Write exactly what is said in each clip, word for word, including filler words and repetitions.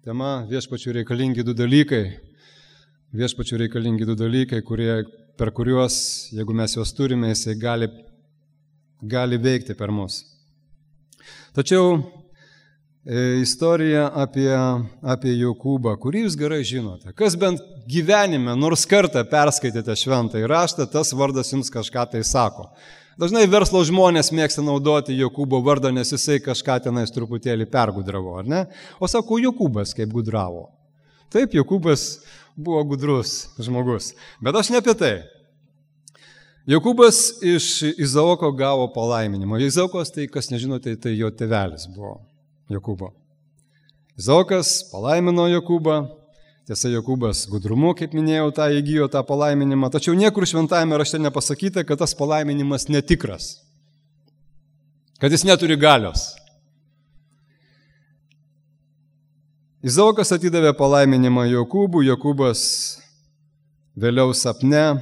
tema viešpačių reikalingi du dalykai. Viešpačių reikalingi du dalykai, kurie, per kuriuos, jeigu mes juos turime, jisai gali, gali veikti per mus. Tačiau e, istorija apie, apie Jokūbą, kurį jūs gerai žinote. Kas bent gyvenime nors kartą perskaitėte šventąjį raštą, tas vardas jums kažką tai sako. Dažnai verslo žmonės mėgsta naudoti Jokūbo vardą, nes jisai kažką tenais truputėlį pergudravo, ar ne? O sako, Jokūbas kaip gudravo. Taip, Jokūbas buvo gudrus žmogus. Bet aš ne apie tai. Jokūbas iš Izaoko gavo palaiminimą. Izaokas, tai kas nežinote, tai jo tėvelis buvo Jokūbo. Izaokas palaimino Jokūbą. Tiesa, Jokūbas gudrumu, kaip minėjau, tą įgijo tą palaiminimą. Tačiau niekur šventajame rašte nepasakyta, kad tas palaiminimas netikras. Kad jis neturi galios. Izaokas atidavė palaiminimą Jokūbų. Jokūbas vėliau sapne.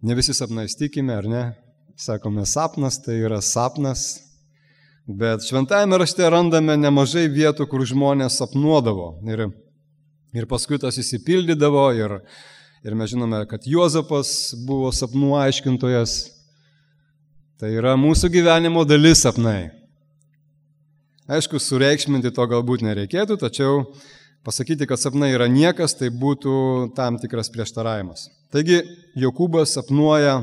Ne visi sapnais tikime, ar ne? Sakome, sapnas tai yra sapnas. Bet šventajame rašte randame nemažai vietų, kur žmonės sapnuodavo. Ir, ir paskui tas įsipildydavo. Ir, ir mes žinome, kad Juozapas buvo sapnų aiškintojas. Tai yra mūsų gyvenimo dalis sapnai. Aišku, sureikšminti to galbūt nereikėtų, tačiau pasakyti, kad sapnai yra niekas, tai būtų tam tikras prieštaravimas. Taigi, Jokūbas sapnuoja,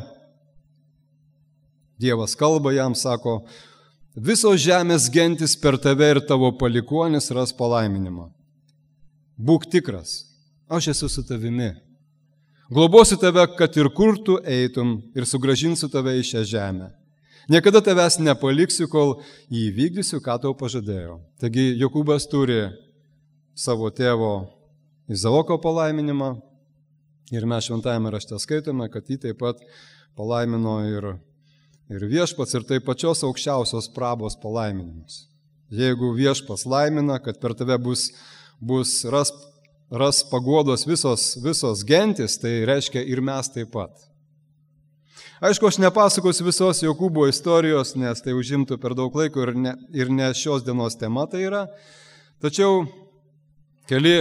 Dievas kalba jam, sako, visos žemės gentis per tave ir tavo palikuonis ras palaiminimą. Būk tikras, aš esu su tavimi. Globosiu tave, kad ir kur tu eitum ir sugrąžinsiu tave į šią žemę. Niekada tavęs nepaliksiu, kol įvykdysiu, ką tau pažadėjau. Taigi Jokūbas turi savo tėvo Izaoko palaiminimą ir mes šventajame rašte skaitome, kad jį taip pat palaimino ir, ir viešpats ir taip pačios aukščiausios prabos palaiminimus. Jeigu viešpats laimina, kad per tave bus, bus ras, ras paguodos visos, visos gentis, tai reiškia ir mes taip pat. Aišku, aš nepasakosiu visos Jokūbo istorijos, nes tai užimtų per daug laiko ir ne, ir ne šios dienos tema tai yra. Tačiau keli,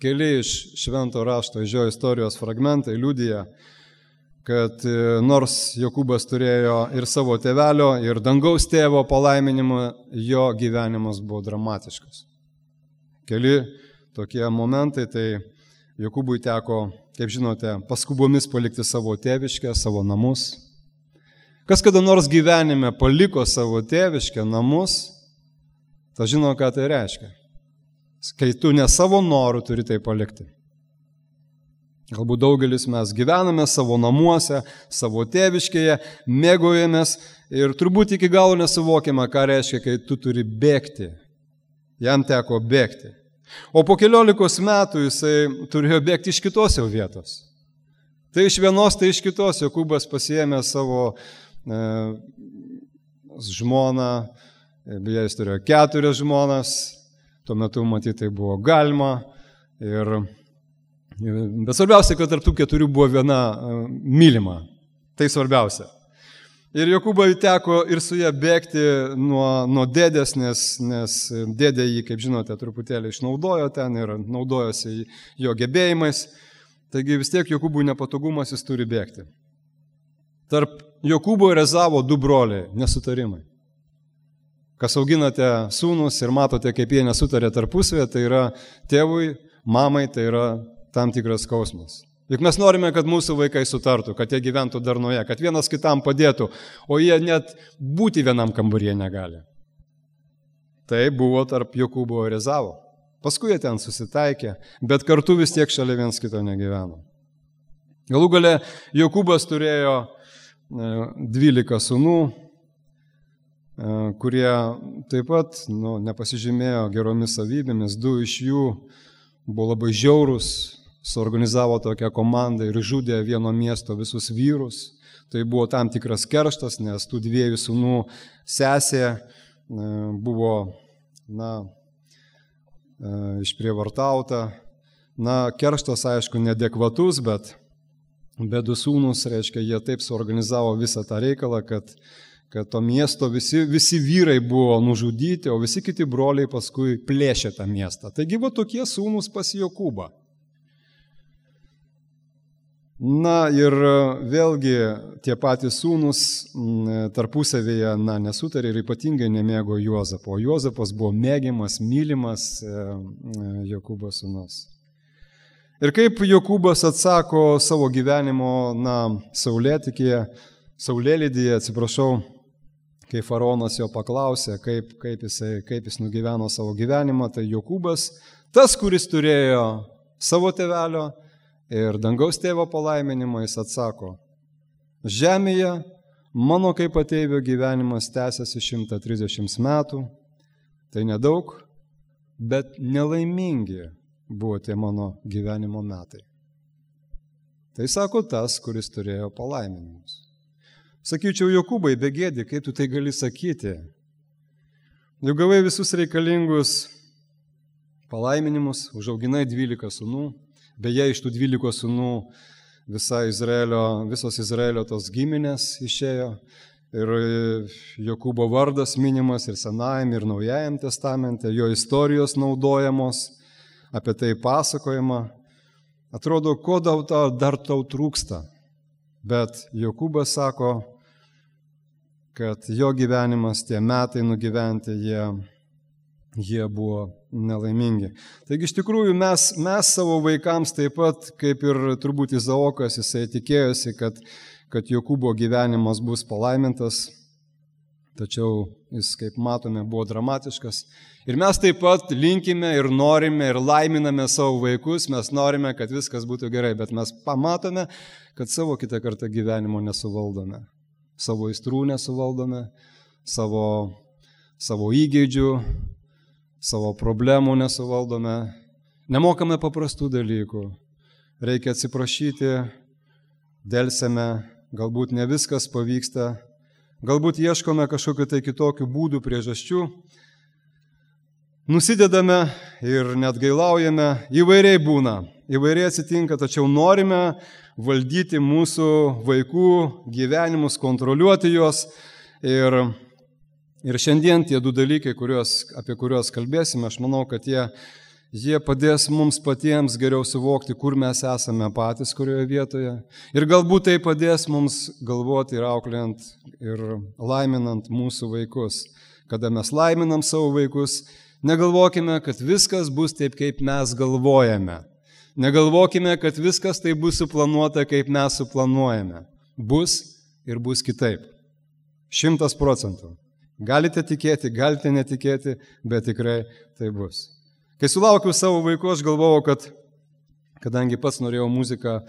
keli iš švento rašto iš jo istorijos fragmentai liudija, kad nors Jokūbas turėjo ir savo tėvelio, ir dangaus tėvo palaiminimą, jo gyvenimas buvo dramatiškas. Keli tokie momentai, tai Jokūbui teko, kaip žinote, paskubomis palikti savo tėviškę, savo namus. Kas kada nors gyvenime paliko savo tėviškę, namus, ta žino, ką tai reiškia. Kai tu ne savo norų turi tai palikti. Galbūt daugelis mes gyvename savo namuose, savo tėviškėje, mėgaujamės ir turbūt iki galo nesuvokiame, ką reiškia, kai tu turi bėgti. Jam teko bėgti. O po keliolikos metų jisai turėjo bėgti iš kitos jau vietos. Tai iš vienos, tai iš kitos. Jokūbas pasiėmė savo e, žmoną, beje, jis turėjo keturias žmonas, tuo metu matyti tai buvo galima. Ir, bet svarbiausia, kad tarp tų keturių buvo viena e, mylima. Tai svarbiausia. Ir Jokūbai teko ir su ją bėgti nuo, nuo dėdės, nes, nes dėdė jį, kaip žinote, truputėlį išnaudojo ten ir naudojosi jo gebėjimais. Taigi vis tiek Jokūbui nepatogumas, jis turi bėgti. Tarp Jokūbo ir Ezavo du broliai, nesutarimai. Kas auginate sūnus ir matote, kaip jie nesutarė tarpusavėje, tai yra tėvui, mamai, tai yra tam tikras skausmas. Juk mes norime, kad mūsų vaikai sutartų, kad jie gyventų darnoje, kad vienas kitam padėtų, o jie net būti vienam kambaryje negali. Tai buvo tarp Jokūbo ir Ezavo. Paskui jie ten susitaikė, bet kartu vis tiek šalia viens kito negyveno. Galų gale Jokūbas turėjo dvylika sūnų, kurie taip pat nu, nepasižymėjo geromis savybėmis, du iš jų buvo labai žiaurūs, suorganizavo tokią komandą ir žudė vieno miesto visus vyrus. Tai buvo tam tikras kerštas, nes tų dviejų sūnų sesė buvo na, išprievartauta. Na, kerštas, aišku, neadekvatus, bet, bet du sūnus, reiškia, jie taip suorganizavo visą tą reikalą, kad, kad to miesto visi, visi vyrai buvo nužudyti, o visi kiti broliai paskui plėšė tą miestą. Taigi buvo tokie sūnūs pas Jokūbą. Na ir vėlgi tie patys sūnūs tarpusavėje na, nesutarė ir ypatingai nemėgo Juozapo. O Juozapas buvo mėgiamas, mylimas Jokūbo sūnus. Ir kaip Jokūbas atsako savo gyvenimo, na, saulėtikėje, saulėlydyje, atsiprašau, kai faraonas jo paklausė, kaip, kaip, jisai, kaip jis nugyveno savo gyvenimą, tai Jokūbas, tas, kuris turėjo savo tėvelio ir dangaus tėvo palaiminimą, jis atsako, žemėje mano kaip ateivio gyvenimas tęsiasi šimtą trisdešimt metų, tai nedaug, bet nelaimingi buvo tie mano gyvenimo metai. Tai sako tas, kuris turėjo palaiminimus. Sakyčiau, Jokūbai, begėdi, kaip tu tai gali sakyti? Jau gavai visus reikalingus palaiminimus, užauginai dvylika sūnų, beje, iš tų dvylikos sūnų visa Izraelio, visos Izraelio tos giminės išėjo ir Jokūbo vardas minimas ir Senajam, ir Naujajam testamente, jo istorijos naudojamos, apie tai pasakojama. Atrodo, ko dar tau trūksta. Bet Jokūbas sako, kad jo gyvenimas, tie metai nugyventi, jie, jie buvo nelaimingi. Taigi iš tikrųjų mes, mes savo vaikams taip pat, kaip ir turbūt Izaokas, jisai tikėjosi, kad, kad Jokūbo gyvenimas bus palaimintas, tačiau jis, kaip matome, buvo dramatiškas. Ir mes taip pat linkime ir norime ir laiminame savo vaikus, mes norime, kad viskas būtų gerai, bet mes pamatome, kad savo kitą kartą gyvenimo nesuvaldome, savo aistrų nesuvaldome, savo, savo įgeidžių, savo problemų nesuvaldome, nemokame paprastų dalykų, reikia atsiprašyti, delsime, galbūt ne viskas pavyksta, galbūt ieškome kažkokiu tai kitokių būdų, priežasčių, nusidedame ir net gailaujame, įvairiai būna, įvairiai atsitinka, tačiau norime valdyti mūsų vaikų gyvenimus, kontroliuoti juos. Ir, ir šiandien tie du dalykai, kuriuos, apie kuriuos kalbėsime, aš manau, kad jie, jie padės mums patiems geriau suvokti, kur mes esame patys, kurioje vietoje. Ir galbūt tai padės mums galvoti ir auklėjant ir laiminant mūsų vaikus. Kada mes laiminam savo vaikus, negalvokime, kad viskas bus taip, kaip mes galvojame. Negalvokime, kad viskas tai bus suplanuota, kaip mes suplanuojame. Bus ir bus kitaip. Šimtas procentų. Galite tikėti, galite netikėti, bet tikrai tai bus. Kai sulaukiau savo vaikų, aš galvojau, kad, kadangi pats norėjau muziką,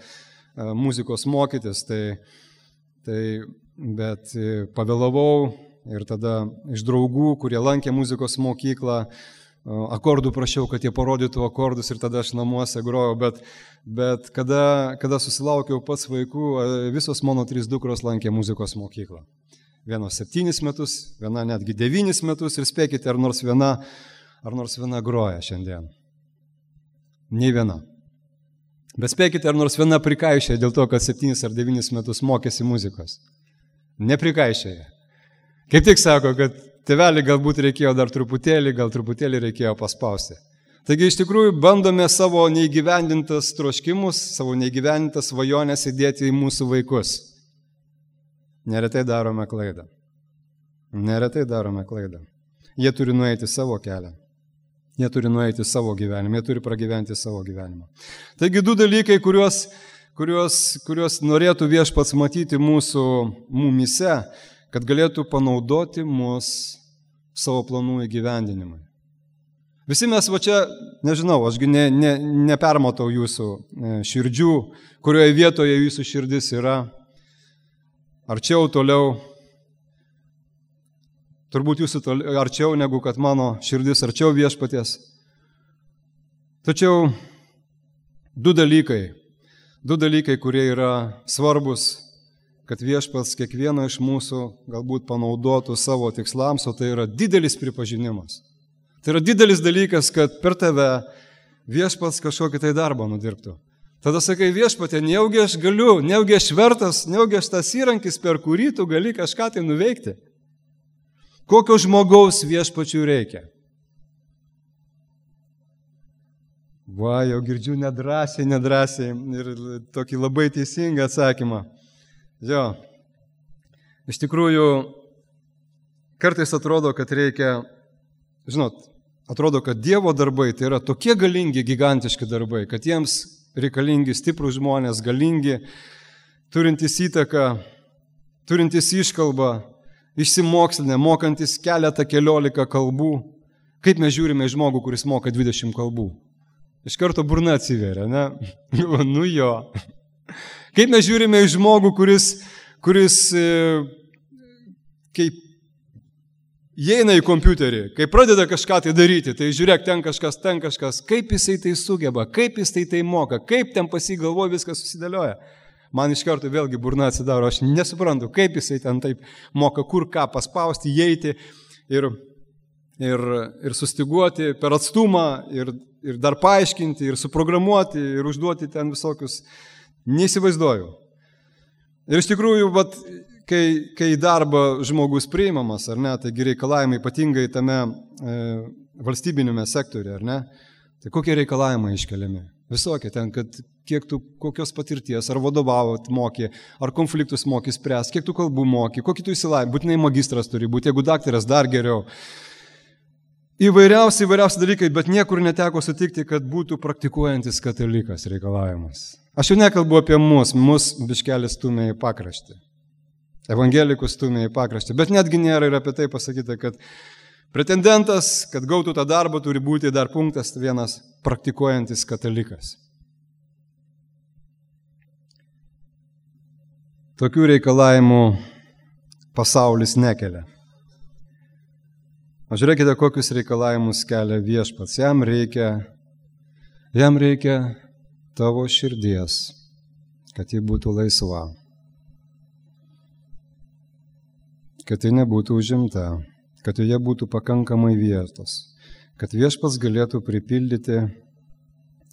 muzikos mokytis, tai, tai, bet pavėlavau ir tada iš draugų, kurie lankė muzikos mokyklą, akordų prašiau, kad jie parodytų akordus ir tada aš namuose grojau, bet, bet kada, kada susilaukiau pats vaikų, visos mano trys dukros lankė muzikos mokyklą. Vienos septynis metus, viena netgi devynis metus ir spėkite, ar nors viena, ar nors viena groja šiandien. Nei viena. Bet spėkite, ar nors viena prikaišė dėl to, kad septynis ar devynis metus mokėsi muzikos. Neprikaišėja. Kaip tik sako, kad tėvelį galbūt reikėjo dar truputėlį, gal truputėlį reikėjo paspausti. Taigi iš tikrųjų bandome savo neįgyvendintas troškimus, savo neįgyvendintas svajonės įdėti į mūsų vaikus. Neretai darome klaidą. Neretai darome klaidą. Jie turi nueiti savo kelią. Jie turi nueiti savo gyvenimą. Jie turi pragyventi savo gyvenimą. Taigi du dalykai, kuriuos, kuriuos, kuriuos norėtų Viešpats matyti mūsų mumyse, kad galėtų panaudoti mus savo planų įgyvendinimui. Visi mes va čia, nežinau, ašgi ne, ne, nepermatau jūsų širdžių, kurioje vietoje jūsų širdis yra, arčiau, toliau, turbūt jūsų toliau, arčiau negu kad mano širdis arčiau Viešpaties. Tačiau du dalykai, du dalykai, kurie yra svarbus, kad Viešpats kiekvieną iš mūsų galbūt panaudotų savo tikslams, o tai yra didelis pripažinimas. Tai yra didelis dalykas, kad per tave Viešpats kažkokį tai darbą nudirbtų. Tada sakai, Viešpatė, nejaugi aš galiu, nejaugi aš vertas, nejaugi aš tas įrankis, per kurį tu gali kažką tai nuveikti. Kokio žmogaus viešpačiui reikia? Va, jau girdžiu nedrąsiai, nedrąsiai ir tokį labai teisingą atsakymą. Jo, iš tikrųjų, kartais atrodo, kad reikia, žinot, atrodo, kad Dievo darbai tai yra tokie galingi, gigantiški darbai, kad jiems reikalingi stiprūs žmonės, galingi, turintys įtaką, turintys iškalbą, išsimokslinę, mokantis keletą keliolika kalbų. Kaip mes žiūrime į žmogų, kuris moka dvidešimt kalbų? Iš karto burna atsiveria, ne? Nu jo. Kaip mes žiūrime į žmogų, kuris, kuris e, kaip įeina į kompiuterį, kai pradeda kažką tai daryti, tai žiūrėk, ten kažkas, ten kažkas, kaip jisai tai sugeba, kaip jisai tai moka, kaip ten pasigalvoja, viskas susidėlioja. Man iš karto vėlgi burna atsidaro, aš nesuprantu, kaip jisai ten taip moka, kur ką paspausti, įeiti ir, ir, ir sustiguoti per atstumą, ir, ir dar paaiškinti, ir suprogramuoti, ir užduoti ten visokius, neįsivaizduoju. Ir iš tikrųjų, vat, kai, kai į darbą žmogus priimamas, ar ne, taigi reikalavimai ypatingai tame e, valstybinėme sektoriuje, ar ne, tai kokie reikalavimai iškeliami? Visokie ten, kad kiek tu kokios patirties, ar vadovavot moki, ar konfliktus moki spręs, kiek tu kalbų moki, kokį tu įsilavinimą, būtinai magistras turi būti, jeigu daktaras dar geriau. Įvairiausi, įvairiausi dalykai, bet niekur neteko sutikti, kad būtų praktikuojantis katalikas reikalavimas. Aš jau nekalbu apie mus, mus biškelį stumia į pakraštį. Evangelikus stumia į pakraštį, bet netgi nėra ir apie tai pasakyta, kad pretendentas, kad gautų tą darbą, turi būti dar punktas vienas praktikuojantis katalikas. Tokių reikalavimų pasaulis nekelia. O žiūrėkite, kokius reikalavimus kelia viešpats. Jam reikia, jam reikia tavo širdies, kad ji būtų laisva, kad ji nebūtų užimta, kad joje būtų pakankamai vietos, kad viešpats galėtų pripildyti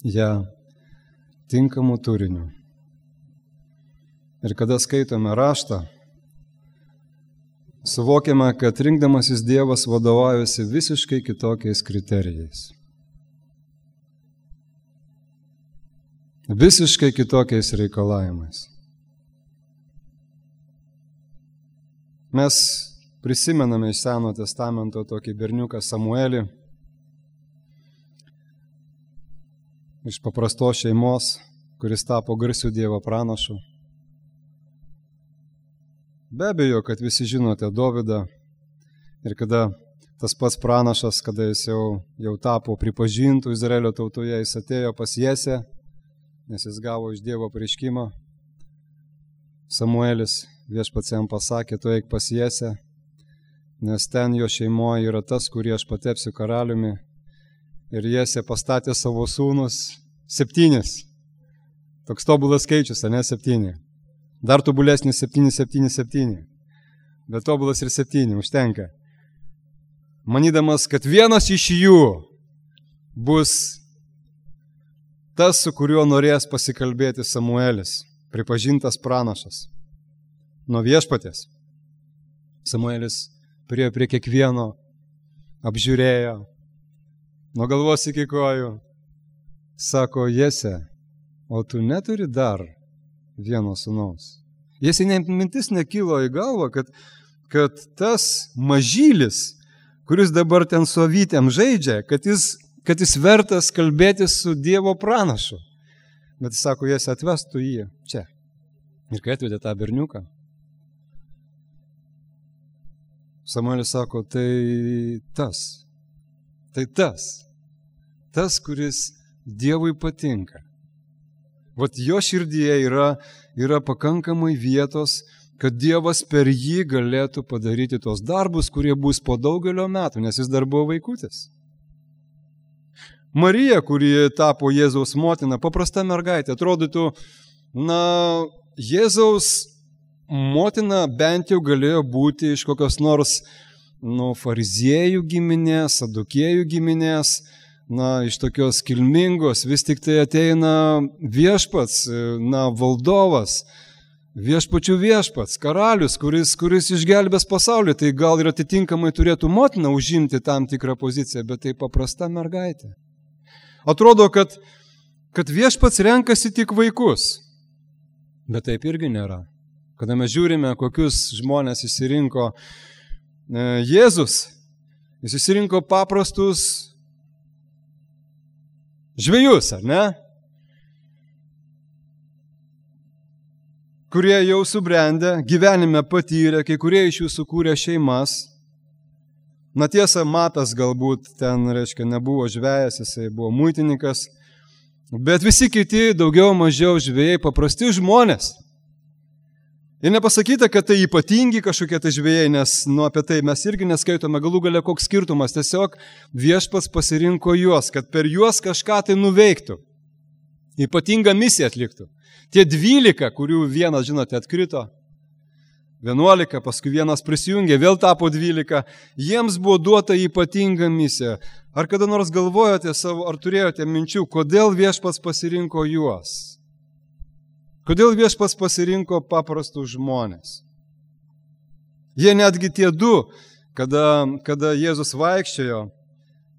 ją tinkamų turinių. Ir kada skaitome raštą, suvokiame, kad rinkdamasis Dievas vadovaujasi visiškai kitokiais kriterijais. Visiškai kitokiais reikalavimais. Mes prisimename iš Seno testamento tokį berniuką Samuelį, iš paprastos šeimos, kuris tapo garsiu Dievo pranašu. Be abejo, kad visi žinote Dovydą ir kada tas pats pranašas, kada jis jau, jau tapo pripažintų Izraelio tautoje, jis atėjo pas Jesę, nes jis gavo iš Dievo apreiškimą. Samuelis viešpats jam pasakė, tu eik pas Jesę, nes ten jo šeimoje yra tas, kurį aš patepsiu karaliumi. Ir Jesė pastatė savo sūnus septynis. Toks tobulas skaičius, ne septyni. Dar tobulesnis septyni, septyni, septyni. Bet tobulas ir septyni, užtenka. Manydamas, kad vienas iš jų bus tas, su kuriuo norės pasikalbėti Samuelis, pripažintas pranašas. Nuo viešpaties. Samuelis priėjo prie kiekvieno, apžiūrėjo, nuo galvos iki kojų. Sako, Jese, o tu neturi dar vieno sūnaus. Jesi mintis nekilo į galvą, kad, kad tas mažylis, kuris dabar ten su avytėm žaidžia, kad jis, kad jis vertas kalbėtis su Dievo pranašu. Bet jis sako, Jesi, atvestų jį čia. Ir kai atvedė tą berniuką, Samuelis sako, tai tas, tai tas, tas, kuris Dievui patinka. Vat jo širdyje yra, yra pakankamai vietos, kad Dievas per jį galėtų padaryti tos darbus, kurie bus po daugelio metų, nes jis dar buvo vaikutis. Marija, kuri tapo Jėzaus motina, paprasta mergaitė, atrodytų, na, Jėzaus motina bent jau galėjo būti iš kokios nors, nu, fariziejų giminės, sadukėjų giminės, na, iš tokios kilmingos, vis tik tai ateina viešpats, na, valdovas, viešpačių viešpats, karalius, kuris, kuris išgelbės pasaulį, tai gal ir atitinkamai turėtų motina užimti tam tikrą poziciją, bet tai paprasta mergaitė. Atrodo, kad, kad viešpats renkasi tik vaikus, bet taip irgi nėra. Kada mes žiūrime, kokius žmonės išsirinko e, Jėzus, jis išsirinko paprastus žvejus, ar ne? Kurie jau subrendę, gyvenime patyrė, kai kurie iš jų sukūrė šeimas. Na tiesa, Matas galbūt ten, reiškia, nebuvo žvejas, jisai buvo muitininkas, bet visi kiti daugiau mažiau žvejai, paprasti žmonės. Ir nepasakyta, kad tai ypatingi kažkokie tai žvejai, nes nu, apie tai mes irgi neskaitome, galų galia koks skirtumas. Tiesiog viešpats pasirinko juos, kad per juos kažką tai nuveiktų. Ypatingą misiją atliktų. Tie dvylika, kurių vienas, žinote, atkrito, vienuolika, paskui vienas prisijungė, vėl tapo dvylika, jiems buvo duota ypatinga misija. Ar kada nors galvojote savo, ar turėjote minčių, kodėl viešpats pasirinko juos? Kodėl viešpats pasirinko paprastus žmonės? Jie netgi tie du, kada, kada Jėzus vaikščiojo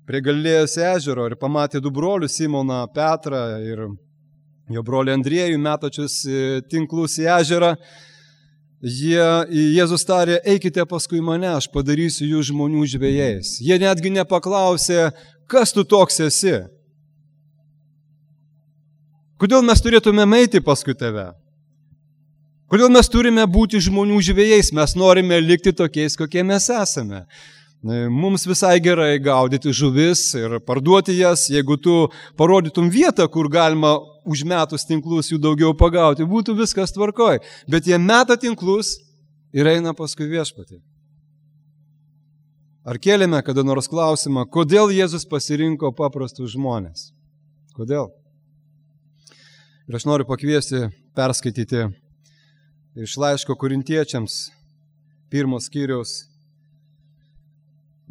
prie Galilėjos ežero ir pamatė du brolius, Simoną Petrą ir jo brolį Andriejų metačius tinklus į ežerą, jie, Jėzus tarė, eikite paskui mane, aš padarysiu jų žmonių žvejais. Jie netgi nepaklausė, kas tu toks esi? Kodėl mes turėtume eiti paskui tave? Kodėl mes turime būti žmonių žvejais? Mes norime likti tokiais, kokie mes esame. Mums visai gerai gaudyti žuvis ir parduoti jas. Jeigu tu parodytum vietą, kur galima užmetus tinklus jų daugiau pagauti, būtų viskas tvarkoj. Bet jie meta tinklus ir eina paskui viešpatį. Ar kėlėme kada nors klausimą, kodėl Jėzus pasirinko paprastus žmonės? Kodėl? Ir aš noriu pakviesti perskaityti iš laiško Korintiečiams pirmos skyriaus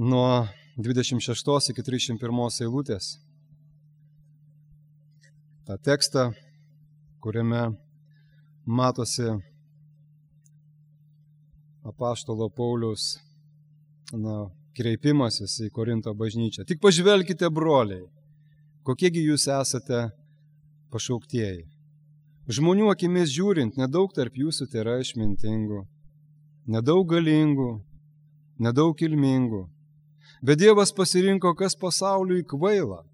nuo dvidešimt šeštos iki trisdešimt pirmos eilutės. tą tekstą, kuriame matosi apaštalo Pauliaus na, kreipimasis į Korinto bažnyčią. Tik pažvelkite, broliai, kokiegi jūs esate pašauktieji. Žmonių akimis žiūrint, nedaug tarp jūsų tai yra išmintingų, nedaug galingų, nedaug kilmingų. Bet Dievas pasirinko, kas pasauliui kvaila,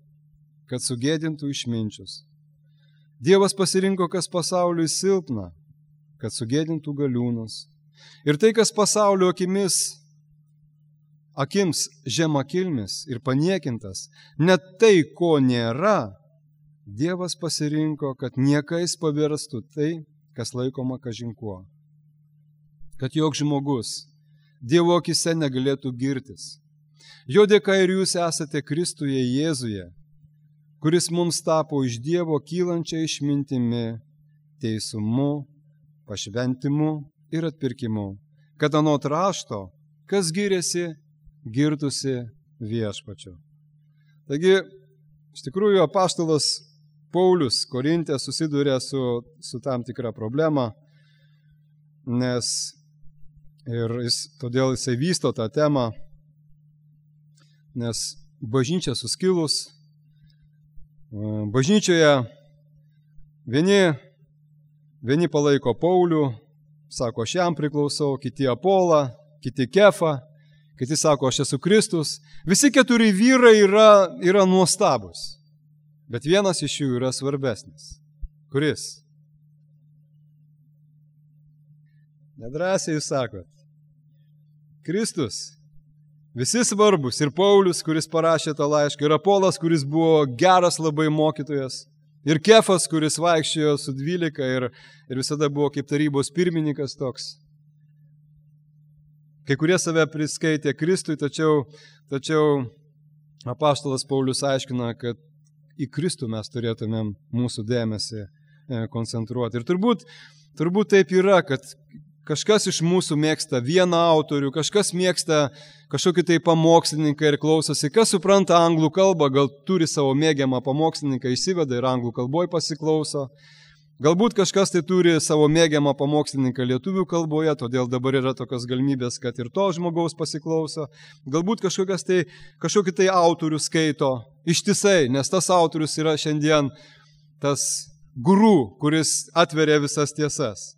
kad sugėdintų išminčius. Dievas pasirinko, kas pasauliui silpna, kad sugėdintų galiūnus. Ir tai, kas pasaulio akimis, akims žemakilmis ir paniekintas, net tai, ko nėra, Dievas pasirinko, kad niekais pavirstų tai, kas laikoma kažinkuo. Kad joks žmogus Dievo akise negalėtų girtis. Jo dėka ir jūs esate Kristuje Jėzuje, kuris mums tapo iš Dievo kylančia išmintimi, teisumu, pašventimu ir atpirkimu, kad anot rašto, kas giriasi, girtusi viešpačiu. Taigi, iš tikrųjų, apaštalas Paulius Korinte susiduria su, su tam tikra problema, nes ir jis, todėl jisai vysto tą temą, nes bažnyčia suskilus, bažnyčioje vieni, vieni palaiko Paulių, sako, aš jam priklausau, kiti Apolą, kiti Kefą, kiti sako, aš esu Kristus. Visi keturi vyrai yra, yra nuostabus, bet vienas iš jų yra svarbesnis. Kuris? Nedrąsiai jūs sakot. Kristus. Visi svarbus. Ir Paulius, kuris parašė tą laišką, ir Apolas, kuris buvo geras labai mokytojas, ir Kefas, kuris vaikščiojo su dvylika ir, ir visada buvo kaip tarybos pirmininkas toks. Kai kurie save priskaitė Kristui, tačiau, tačiau apaštalas Paulius aiškina, kad į Kristų mes turėtumėm mūsų dėmesį koncentruoti. Ir turbūt, turbūt taip yra, kad kažkas iš mūsų mėgsta vieną autorių, kažkas mėgsta kažkokį tai pamokslininką ir klausosi. Kas supranta anglų kalbą, gal turi savo mėgiamą pamokslininką, įsiveda ir anglų kalboj pasiklauso. Galbūt kažkas tai turi savo mėgiamą pamokslininką lietuvių kalboje, todėl dabar yra tokios galimybės, kad ir to žmogaus pasiklauso. Galbūt kažkokias tai, kažkokį tai autorių skaito ištisai, nes tas autorius yra šiandien tas guru, kuris atveria visas tiesas.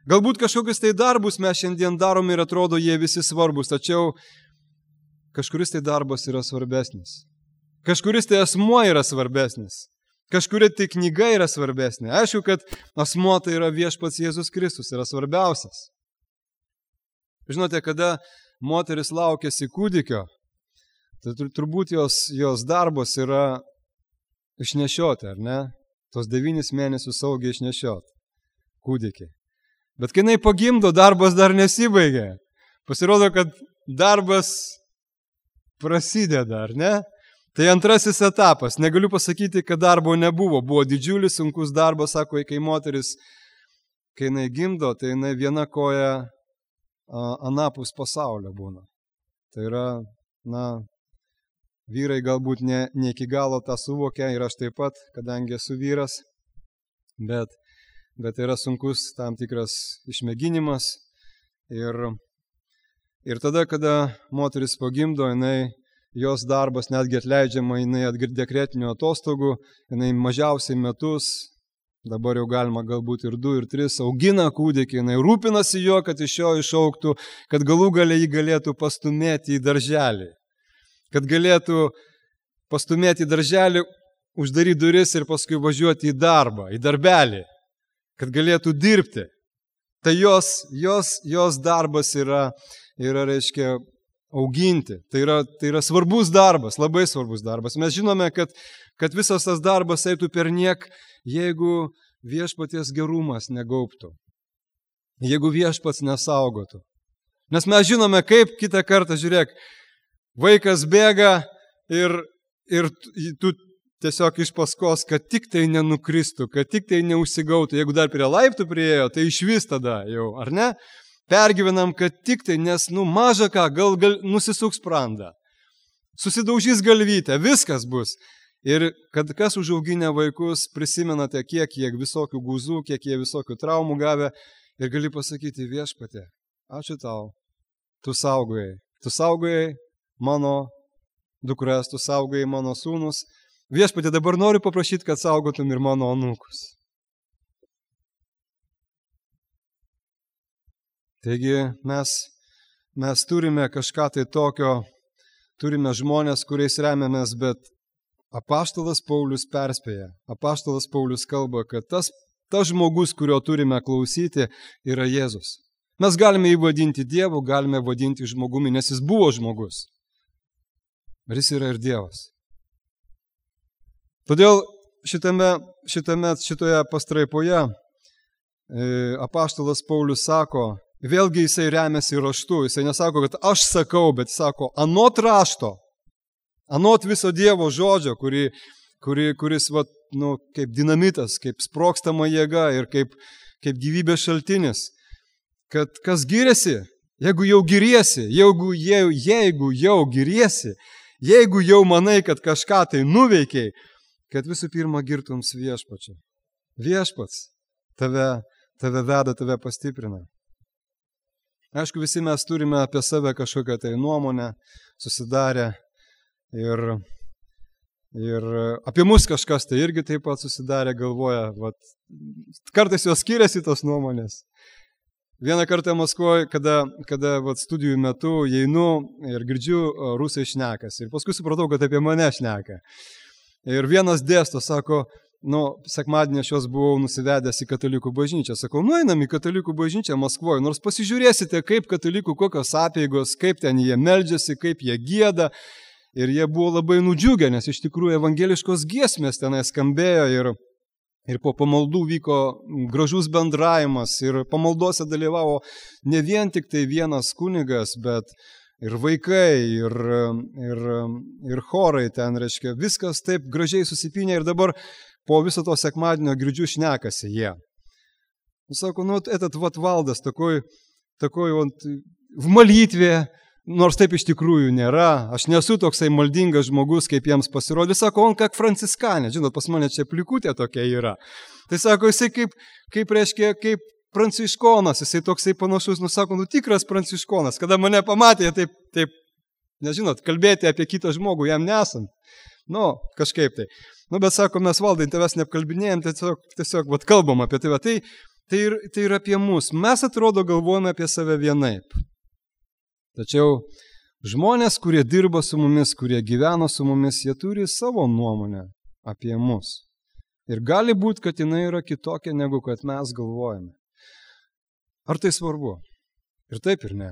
Galbūt kažkokius tai darbus mes šiandien darom ir atrodo jie visi svarbus, tačiau kažkuris tai darbas yra svarbesnis. Kažkuris tai asmuo yra svarbesnis. Kažkuri tai knyga yra svarbesnė. Aišku, kad asmuo tai yra viešpats Jėzus Kristus, yra svarbiausias. Žinote, kada moteris laukiasi kūdikio, tai turbūt jos, jos darbas yra išnešioti, ar ne? Tos devynis mėnesius saugiai išnešioti kūdikį. Bet kai jinai pagimdo, darbas dar nesibaigė. Pasirodo, kad darbas prasideda, ar ne? Tai antrasis etapas. Negaliu pasakyti, kad darbo nebuvo. Buvo didžiulis, sunkus darbas, sako, kai moteris, kai jinai gimdo, tai jinai viena koja a, anapus pasaulio būna. Tai yra, na, vyrai galbūt ne, ne iki galo tą suvokia ir aš taip pat, kadangi esu vyras, bet, bet tai yra sunkus tam tikras išmėginimas. Ir, ir tada, kada moteris pagimdo, jinai jos darbas netgi atleidžiama, jinai dekretinių atostogų, jinai mažiausiai metus, dabar jau galima galbūt ir du, ir tris, augina kūdikį, jinai rūpinasi jo, kad iš jo išaugtų, kad galų gale jį galėtų pastumėti į darželį, kad galėtų pastumėti į darželį, uždaryti duris ir paskui važiuoti į darbą, į darbelį, kad galėtų dirbti. Tai jos, jos, jos darbas yra, yra reiškia, auginti. Tai yra, tai yra svarbus darbas, labai svarbus darbas. Mes žinome, kad, kad visas tas darbas eitų per niek, jeigu viešpaties gerumas negaubtų. Jeigu viešpats nesaugotų. Nes mes žinome, kaip kitą kartą, žiūrėk, vaikas bėga ir, ir tu tiesiog iš paskos, kad tik tai nenukristų, kad tik tai neužsigautų. Jeigu dar prie laiptų priėjo, tai išvis tada jau, ar ne? Pergyvenam, kad tik tai, nes, nu, maža ką, gal, gal nusisuks sprandą, susidaužys galvytę, viskas bus. Ir kad kas užauginę vaikus, prisimenate, kiek jie visokių guzų, kiek jie visokių traumų gavę, ir gali pasakyti, viešpatie, ačiū tau, tu saugojai, tu saugojai mano dukras, tu saugojai mano sūnus, viešpatie, dabar noriu paprašyti, kad saugotum ir mano anūkus. Taigi mes, mes turime kažką tai tokio, turime žmonės, kuriais remiamės, bet apaštalas Paulius perspėja, apaštalas Paulius kalba, kad tas, tas žmogus, kurio turime klausyti, yra Jėzus. Mes galime jį vadinti Dievu, galime vadinti žmogumi, nes jis buvo žmogus. Ir jis yra ir Dievas. Todėl šitame, šitame, šitoje pastraipoje e, apaštalas Paulius sako, vėlgi jisai remiasi raštu, jisai nesako, kad aš sakau, bet sako, anot rašto, anot viso Dievo žodžio, kuri, kuri, kuris va, nu, kaip dinamitas, kaip sprogstama jėga ir kaip, kaip gyvybės šaltinis, kad kas giriasi, jeigu jau giriesi, jeigu, jeigu, jeigu jau giriesi, jeigu jau manai, kad kažką tai nuveikiai, kad visų pirma girtums viešpačiu. Viešpats tave, tave veda, tave pastiprina. Aišku, visi mes turime apie save kažkokią tai nuomonę susidarę ir, ir apie mus kažkas tai irgi taip pat susidarę galvoja. Vat, kartais jos skiriasi tos nuomonės. Vieną kartą Maskvoje, kada, kada vat, studijų metu einu ir girdžiu rusai šnekas ir paskui supratau, kad apie mane šneka. Ir vienas dėsto, sako, nu, sekmadienį aš jos buvau nusivedęs į katalikų bažnyčią. Sakau, nueinam į katalikų bažnyčią Maskvoje, nors pasižiūrėsite, kaip katalikų kokios apeigos, kaip ten jie meldžiasi, kaip jie gieda. Ir jie buvo labai nudžiugę, nes iš tikrųjų evangeliškos giesmės tenai skambėjo ir, ir po pamaldų vyko gražus bendravimas ir pamaldose dalyvavo ne vien tik tai vienas kunigas, bet ir vaikai, ir, ir, ir chorai ten, reiškia, viskas taip gražiai susipynė ir dabar po viso to sekmadienio girdžiu šnekasi jie. Sako, ну, этот вот Валдас такой, такой он в молитве, nors taip iš tikrųjų nėra, aš nesu toksai maldingas žmogus, kaip jiems pasirodė. Sako, on kaip franciskanė, žinot, pas mane čia plikutė tokia yra. Tai sako, jisai kaip, kaip reiškia, kaip pranciškonas, jisai toksai panašus, nu sako, nu tikras pranciškonas. Kada mane pamatė, taip, taip, nežinot, kalbėti apie kitą žmogų, jam nesant. Nu, kažkaip tai. Nu, bet sako, mes Valdai, tavęs neapkalbinėjom, tiesiog, tiesiog vat, kalbam apie tave. Tai, tai, ir, tai yra apie mus. Mes atrodo galvojame apie save vienaip. Tačiau žmonės, kurie dirba su mumis, kurie gyvena su mumis, jie turi savo nuomonę apie mus. Ir gali būti, kad jinai yra kitokia, negu kad mes galvojame. Ar tai svarbu? Ir taip ir ne.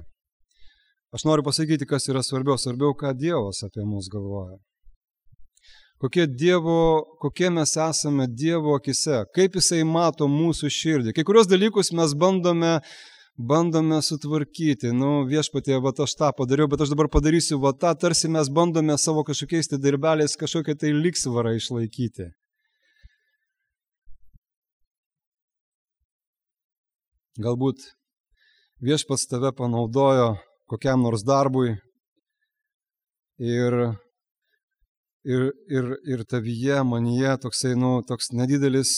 Aš noriu pasakyti, kas yra svarbiau. Svarbiau, ką Dievas apie mus galvoja. Kokie, dievo, kokie mes esame Dievo akise, kaip Jisai mato mūsų širdį. Kai kurios dalykus mes bandome, bandome sutvarkyti. Nu, viešpatie, va aš tą padariau, bet aš dabar padarysiu va tą, tarsi mes bandome savo kažkokiais tai darbeliais kažkokią tai lygsvarą išlaikyti. Galbūt viešpats tave panaudojo kokiam nors darbui ir Ir, ir, ir tavyje, manyje toksai, nu, toks nedidelis,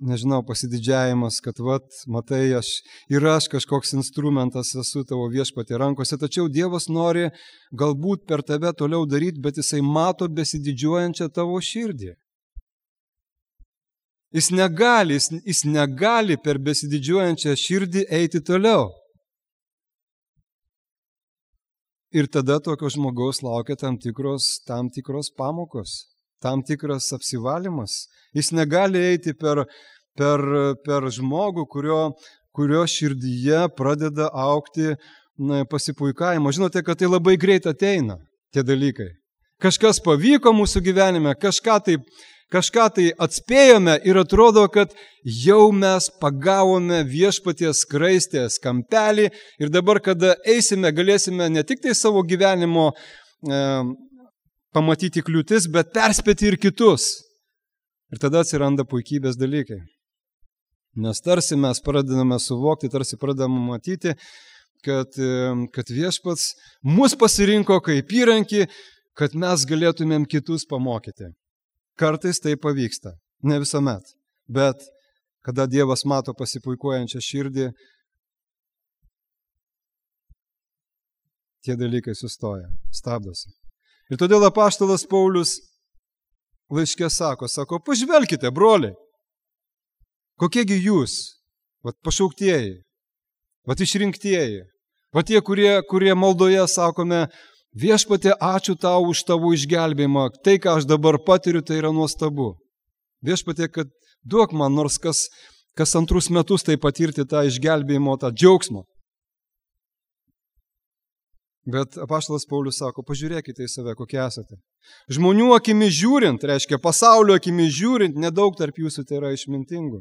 nežinau, pasididžiavimas, kad, vat, matai, aš ir aš kažkoks instrumentas esu tavo viešpatie rankose, tačiau Dievas nori galbūt per tave toliau daryti, bet Jisai mato besididžiuojančią tavo širdį. Jis negali, jis, jis negali per besididžiuojančią širdį eiti toliau. Ir tada tokio žmogaus laukia tam tikros, tam tikros pamokos, tam tikras apsivalymas. Jis negali eiti per, per, per žmogų, kurio, kurio širdyje pradeda augti na, pasipuikavimo. Žinote, kad tai labai greit ateina, tie dalykai. Kažkas pavyko mūsų gyvenime, kažką tai, kažką tai atspėjome ir atrodo, kad jau mes pagavome viešpaties skraistės kampelį ir dabar, kada eisime, galėsime ne tik tai savo gyvenimo e, pamatyti kliūtis, bet perspėti ir kitus. Ir tada atsiranda puikybės dalykai. Nes tarsi mes pradedame suvokti, tarsi pradedame matyti, kad, kad viešpats mus pasirinko kaip įrankį, kad mes galėtumėm kitus pamokyti. Kartais tai pavyksta, ne visuomet, bet kada Dievas mato pasipuikuojančią širdį, tie dalykai sustoja, stabdosi. Ir todėl apaštalas Paulius laiške sako, sako, pažvelkite, broliai, kokiegi jūs, vat pašauktieji, vat išrinktieji, vat tie, kurie, kurie maldoje sakome, viešpatie, ačiū tau už tavo išgelbėjimą, tai, ką aš dabar patiriu, tai yra nuostabu. Viešpatie, kad duok man nors kas, kas antrus metus tai patirti tą išgelbėjimo, tą džiaugsmą. Bet apaštalas Paulius sako, pažiūrėkite į save, kokie esate. Žmonių akimi žiūrint, reiškia pasaulio akimi žiūrint, nedaug tarp jūsų tai yra išmintingų.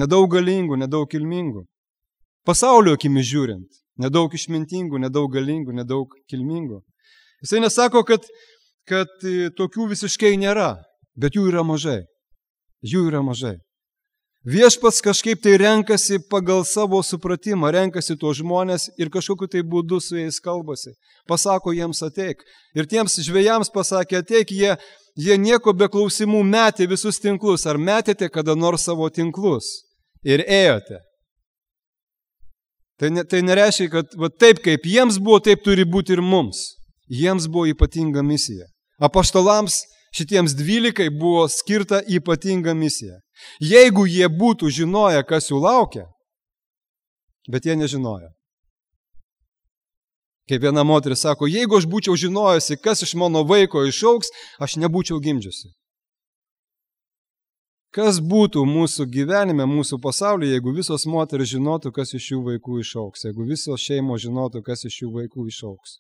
Nedaug galingų, nedaug kilmingų. Pasaulio akimi žiūrint, nedaug išmintingų, nedaug galingų, nedaug kilmingų. Jisai nesako, kad, kad tokių visiškai nėra, bet jų yra mažai. Jų yra mažai. Viešpats kažkaip tai renkasi pagal savo supratimą, renkasi tuos žmonės ir kažkokiu tai būdu su jais kalbasi. Pasako jiems ateik. Ir tiems žvejams pasakė ateik, jie, jie nieko be klausimų metė visus tinklus. Ar metėte kada nors savo tinklus? Ir ėjote. Tai, ne, tai nereiškia, kad va, taip kaip jiems buvo, taip turi būti ir mums. Jiems buvo ypatinga misija. Apaštalams šitiems dvylikai buvo skirta ypatinga misija. Jeigu jie būtų žinoję, kas jų laukia, bet jie nežinojo. Kaip viena moteris sako, jeigu aš būčiau žinojusi, kas iš mano vaiko išaugs, aš nebūčiau gimdžiusi. Kas būtų mūsų gyvenime, mūsų pasaulyje, jeigu visos moteris žinotų, kas iš jų vaikų išaugs, jeigu visos šeimos žinotų, kas iš jų vaikų išaugs.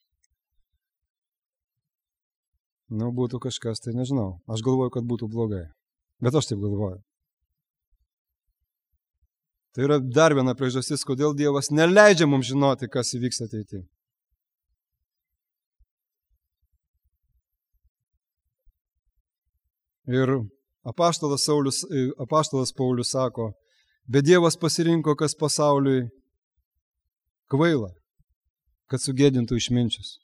Nu, būtų kažkas, tai nežinau. Aš galvoju, kad būtų blogai. Bet aš taip galvoju. Tai yra dar viena priežastis, kodėl Dievas neleidžia mums žinoti, kas įvyks ateityje. Ir Apaštalas, Saulius, apaštalas Paulius sako, bet Dievas pasirinko, kas pasauliui kvaila. kad sugėdintų išminčius.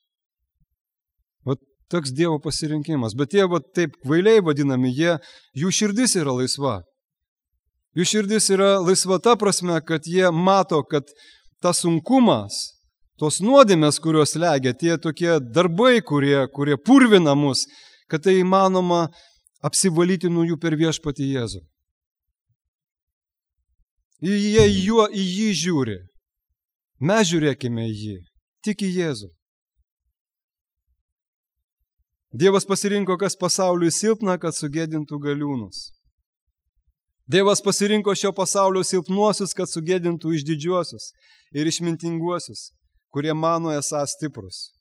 Vat toks Dievo pasirinkimas. Bet tie va, taip kvailiai vadinami, jie, jų širdis yra laisva. Jų širdis yra laisva ta prasme, kad jie mato, kad tas sunkumas, tos nuodėmės, kurios legia, tie tokie darbai, kurie, kurie purvina mus, kad tai įmanoma apsivalyti nuo jų per viešpatį Jėzų. Jie juo į jį žiūri. Mes žiūrėkime į jį, tik į Jėzų. Dievas pasirinko, kas pasauliui silpna, kad sugėdintų galiūnus. Dievas pasirinko šio pasaulio silpnuosius, kad sugėdintų išdidžiuosius ir išmintinguosius, kurie mano esą stiprus.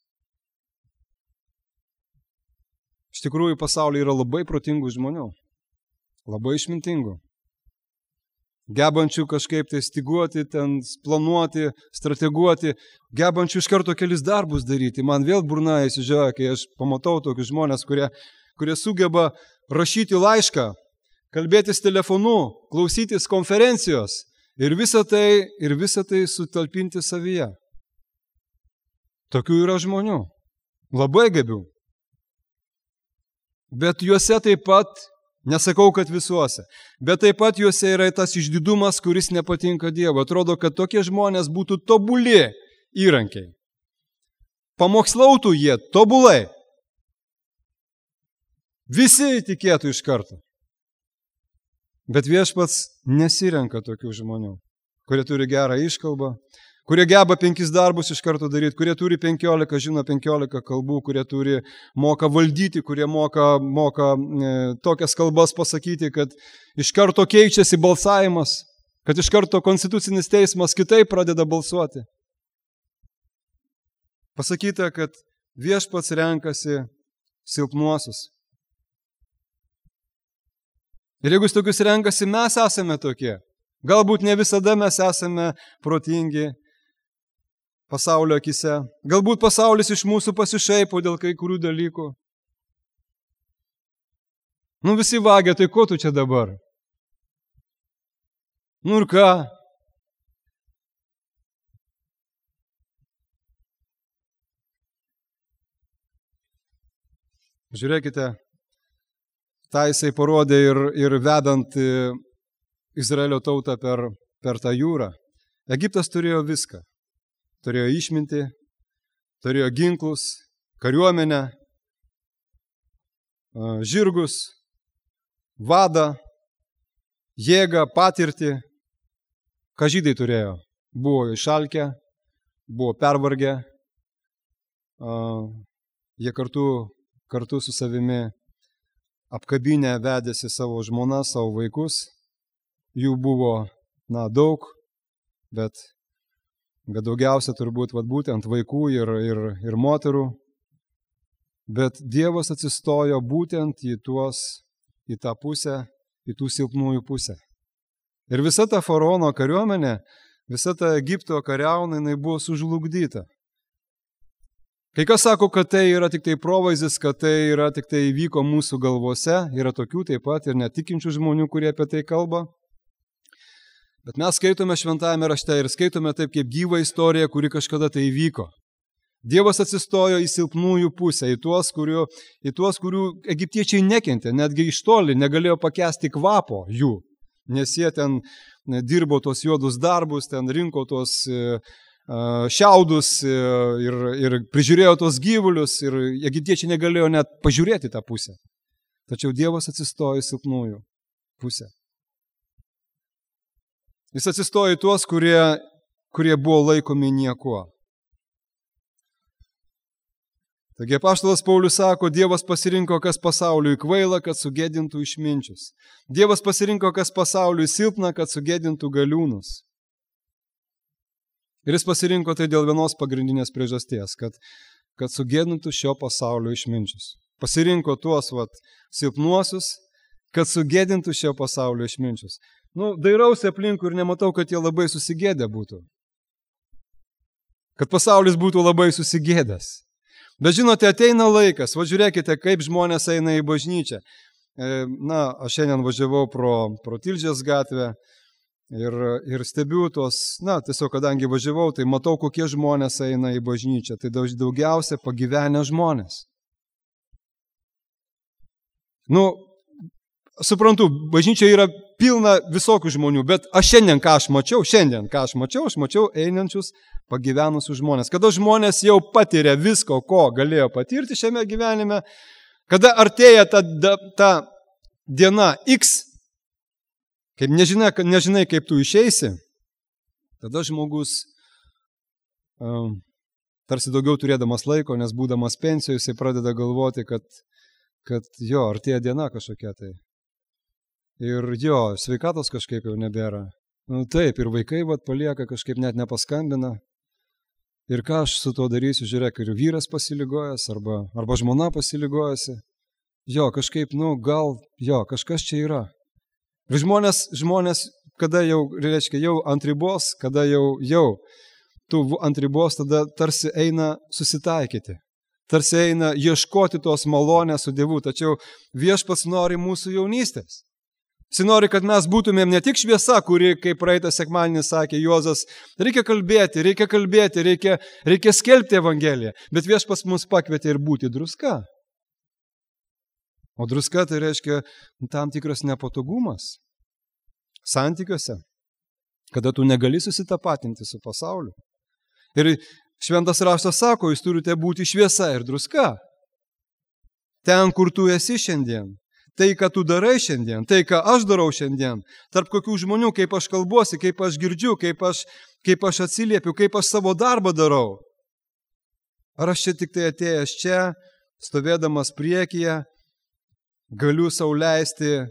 Iš tikrųjų, pasaulyje yra labai protingų žmonių, labai išmintingų, gebančių kažkaip tai stiguoti, ten planuoti, strateguoti, gebančių iš karto kelis darbus daryti. Man vėl burna įsižioja, kai aš pamatau tokius žmonės, kurie, kurie sugeba rašyti laišką, kalbėtis telefonu, klausytis konferencijos ir visą tai, ir visą tai sutalpinti savyje. Tokių yra žmonių, labai gabių. Bet juose taip pat, nesakau, kad visuose, bet taip pat juose yra tas išdidumas, kuris nepatinka Dievo. Atrodo, kad tokie žmonės būtų tobuli įrankiai. Pamokslautų jie tobulai. Visi tikėtų iš karto. Bet viešpats nesirenka tokių žmonių, kurie turi gerą iškalbą, kurie geba penkis darbus iš karto daryti, kurie turi penkiolika, žino penkiolika kalbų, kurie turi, moka valdyti, kurie moka, moka e, tokias kalbas pasakyti, kad iš karto keičiasi balsavimas, kad iš karto konstitucinis teismas kitaip pradeda balsuoti. Pasakyta, kad viešpats renkasi silpnuosius. Ir jeigu jis tokius renkasi, mes esame tokie. Galbūt ne visada mes esame protingi pasaulio akise. Galbūt pasaulis iš mūsų pasišaipo dėl kai kurių dalykų. Nu visi vagia, tai ko tu čia dabar? Nu ir ką? Žiūrėkite, tą jisai parodė ir, ir vedant Izraelio tautą per, per tą jūrą. Egiptas turėjo viską. Turėjo išmintį, turėjo ginklus, kariuomenę, žirgus, vadą, jėgą, patirtį. Ką žydai turėjo? Buvo išalkę, buvo pervargę, jie kartu, kartu su savimi apkabinę vedėsi savo žmoną, savo vaikus. Jų buvo, na, daug, bet, bet daugiausia turbūt vat, būtent vaikų ir, ir, ir moterų. Bet Dievas atsistojo būtent į, tuos, į tą pusę, į tų silpnųjų pusę. Ir visa ta faraono kariuomenė, visa ta Egipto kariauna, jinai buvo sužlugdyta. Kai kas sako, kad tai yra tik tai provaizdis, kad tai yra tik tai įvyko mūsų galvose, yra tokių taip pat ir netikinčių žmonių, kurie apie tai kalba. Bet mes skaitome šventajame rašte ir skaitome taip kaip gyvą istoriją, kuri kažkada tai įvyko. Dievas atsistojo į silpnųjų pusę, į tuos, kurių, į tuos, kurių egiptiečiai nekentė, netgi iš toli negalėjo pakęsti kvapo jų, nes jie ten dirbo tos juodus darbus, ten rinko tos šiaudus ir, ir prižiūrėjo tos gyvulius ir egiptiečiai negalėjo net pažiūrėti tą pusę. Tačiau Dievas atsistojo į silpnųjų pusę. Jis atsistojo į tuos, kurie, kurie buvo laikomi niekuo. Taigi apaštalas Paulius sako, Dievas pasirinko, kas pasauliui kvaila, kad sugėdintų išminčius. Dievas pasirinko, kas pasauliui silpna, kad sugėdintų galiūnus. Ir jis pasirinko tai dėl vienos pagrindinės priežasties, kad, kad sugėdintų šio pasaulio išminčius. Pasirinko tuos vat, silpnuosius, kad sugėdintų šio pasaulio išminčius. Nu, dairausi aplinkui ir nematau, kad jie labai susigėdę būtų. Kad pasaulis būtų labai susigėdęs. Bet žinote, ateina laikas, va žiūrėkite, kaip žmonės eina į bažnyčią. Na, aš šiandien važiavau pro, pro Tilžės gatvę Ir, ir stebiu tuos, na, tiesiog kadangi važiavau, tai matau, kokie žmonės eina į bažnyčią. Tai daugiausia pagyvenę žmonės. Nu, suprantu, bažnyčia yra pilna visokių žmonių, bet aš šiandien ką aš mačiau, šiandien ką aš mačiau, aš mačiau einančius pagyvenusius žmonės. Kada žmonės jau patiria visko, ko galėjo patirti šiame gyvenime, kada artėja ta, ta diena X, kaip nežinai, nežinai, kaip tu išeisi, tada žmogus um, tarsi daugiau turėdamas laiko, nes būdamas pensijoje, jisai pradeda galvoti, kad, kad jo, artėja diena kažkokia tai. Ir jo, sveikatos kažkaip jau nebėra. Nu, taip, ir vaikai vat, palieka, kažkaip net nepaskambina. Ir ką aš su tuo darysiu, žiūrėk, ir vyras pasiligojęs, arba, arba žmona pasiligojusi. Jo, kažkaip, nu, gal, jo, kažkas čia yra. Ir žmonės, žmonės, kada jau, reiškia, jau ant ribos, kada jau, jau, tu ant ribos, tada tarsi eina susitaikyti. Tarsi eina ieškoti tos malonės su Dievu, tačiau Viešpats nori mūsų jaunystės. Jis nori, kad mes būtumėm ne tik šviesa, kuri, kaip praeitą sekmadienį sakė Juozas, reikia kalbėti, reikia kalbėti, reikia, reikia skelbti Evangeliją, bet Viešpats mus pakvietė ir būti druska. O druska tai reiškia tam tikras nepatogumas santykiuose, kada tu negali susitapatinti su pasauliu. Ir Šventas raštas sako, jūs turite būti šviesa ir druska. Ten, kur tu esi šiandien. Tai, ką tu darai šiandien, tai, ką aš darau šiandien, tarp kokių žmonių, kaip aš kalbuosi, kaip aš girdžiu, kaip aš, kaip aš atsiliepiu, kaip aš savo darbą darau. Ar aš čia tik tai atėjęs čia, stovėdamas priekyje, galiu sau leisti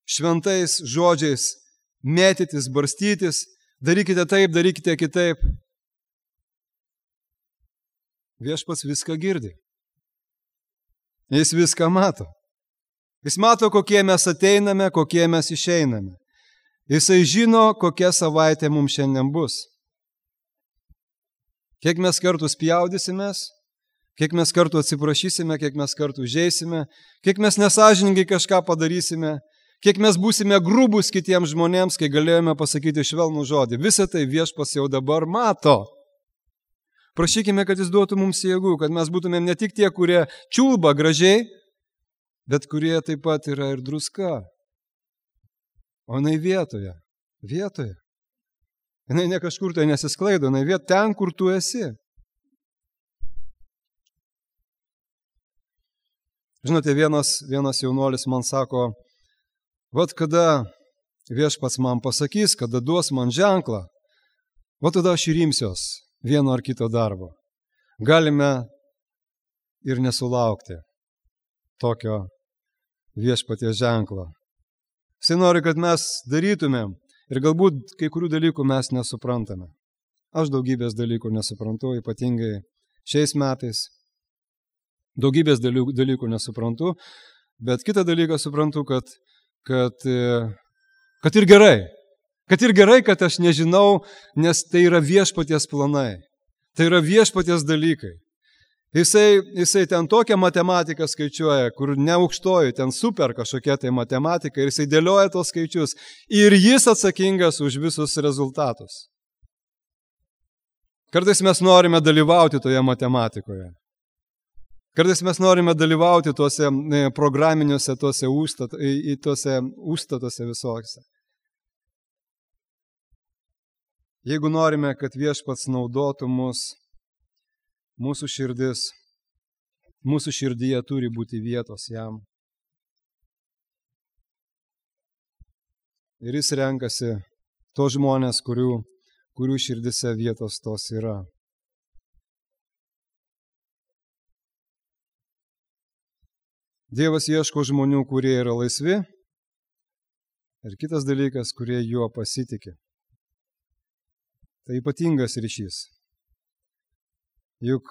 šventais žodžiais mėtytis, barstytis, darykite taip, darykite kitaip. Viešpats viską girdi. Jis viską mato. Jis mato, kokie mes ateiname, kokie mes išeiname. Jisai žino, kokia savaitė mums šiandien bus. Kiek mes kartų spjaudysimės, kiek mes kartų atsiprašysime, kiek mes kartų žeisime, kiek mes nesažiningai kažką padarysime, kiek mes būsime grubus kitiems žmonėms, kai galėjome pasakyti švelnų žodį. Visą tai Viešpats jau dabar mato. Prašykime, kad jis duotų mums jėgų, kad mes būtumėm ne tik tie, kurie čiulba gražiai, bet kurie taip pat yra ir druska. O jinai vietoje, vietoje. Jinai ne kažkur tai nesisklaido, jinai vietoje ten, kur tu esi. Žinote, vienas, vienas jaunuolis man sako, vat kada Viešpats man pasakys, kada duos man ženklą, vat tada aš ir imsiuos vieno ar kito darbo. Galime ir nesulaukti tokio Viešpaties ženklo. Jisai nori, kad mes darytumėm ir galbūt kai kurių dalykų mes nesuprantame. Aš daugybės dalykų nesuprantu, ypatingai šiais metais. Daugybės dalykų, dalykų nesuprantu, bet kitą dalyką suprantu, kad, kad, kad ir gerai. Kad ir gerai, kad aš nežinau, nes tai yra Viešpaties planai. Tai yra Viešpaties dalykai. Jisai, jisai ten tokią matematiką skaičiuoja, kur neaukštoji, ten super kažkokia tai matematika ir jisai dėlioja tos skaičius ir jis atsakingas už visus rezultatus. Kartais mes norime dalyvauti toje matematikoje. Kartais mes norime dalyvauti tuose programiniuose, tuose, užstat, tuose užstatuose visokiose. Jeigu norime, kad Viešpats naudotų mus, mūsų širdis, mūsų širdyje turi būti vietos jam. Ir jis renkasi tos žmonės, kurių, kurių širdise vietos tos yra. Dievas ieško žmonių, kurie yra laisvi, ir kitas dalykas, kurie juo pasitikė. Tai ypatingas ryšys. Juk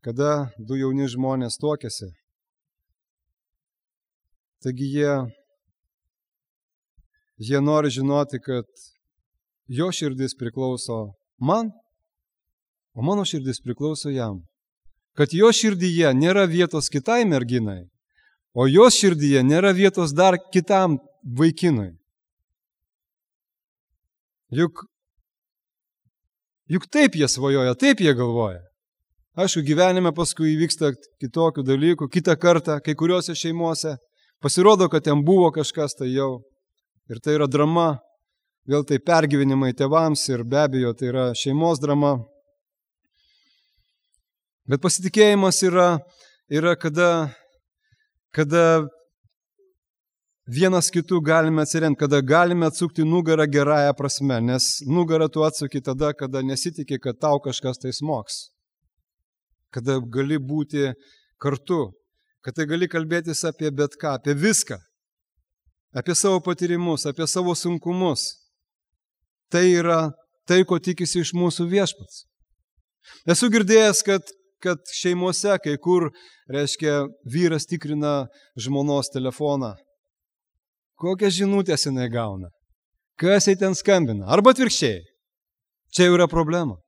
kada du jauni žmonės tuokiasi, taigi jie, jie nori žinoti, kad jo širdis priklauso man, o mano širdis priklauso jam. Kad jo širdyje nėra vietos kitai merginai, o jos širdyje nėra vietos dar kitam vaikinui. Juk, juk taip jie svajoja, taip jie galvoja. Aišku, gyvenime paskui įvyksta kitokių dalykų, kitą kartą, kai kuriuose šeimuose pasirodo, kad ten buvo kažkas tai jau. Ir tai yra drama, vėl tai pergyvenimai tėvams ir be abejo tai yra šeimos drama. Bet pasitikėjimas yra, yra kada, kada vienas kitų galime atsiremti, kada galime atsukti nugarą gerąją prasme, nes nugarą tu atsuki tada, kada nesitikė, kad tau kažkas tai smogs. Kada gali būti kartu, kad tai gali kalbėtis apie bet ką, apie viską, apie savo patyrimus, apie savo sunkumus. Tai yra tai, ko tikisi iš mūsų Viešpats. Esu girdėjęs, kad, kad šeimose, kai kur, reiškia, vyras tikrina žmonos telefoną. Kokias žinutės jinai gauna? Kas jai ten skambina? Arba atvirkščiai. Čia jau yra problema.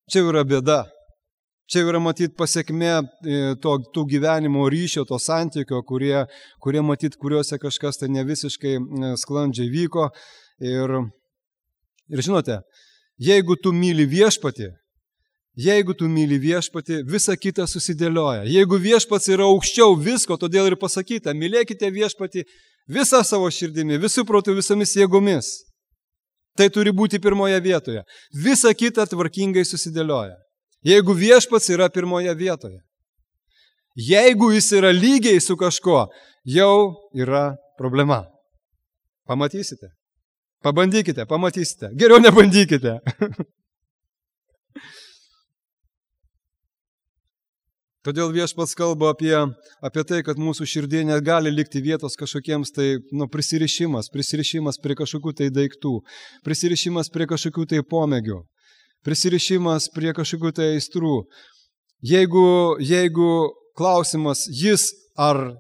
Čia jau yra bėda. Čia yra matyt pasiekmė to, tų gyvenimo ryšio, to santykio, kurie, kurie matyt, kuriuose kažkas tai ne visiškai sklandžiai vyko. Ir, ir žinote, jeigu tu myli Viešpatį, jeigu tu myli Viešpatį, visa kita susidėlioja. Jeigu Viešpats yra aukščiau visko, todėl ir pasakyta, mylėkite Viešpatį visą savo širdimi, visų protų, visomis jėgomis. Tai turi būti pirmoje vietoje. Visa kita tvarkingai susidėlioja. Jeigu Viešpats yra pirmoje vietoje. Jeigu jis yra lygiai su kažko, jau yra problema. Pamatysite. Pabandykite, pamatysite. Geriau nebandykite. Todėl Viešpats kalba apie, apie tai, kad mūsų širdie negali likti vietos kažkokiems tai nu, prisirišimas, prisirišimas prie kažkokių tai daiktų, prisirišimas prie kažkokių tai pomėgių. Prisirišimas prie kažkokių tai aistrų. Jeigu, jeigu klausimas jis ar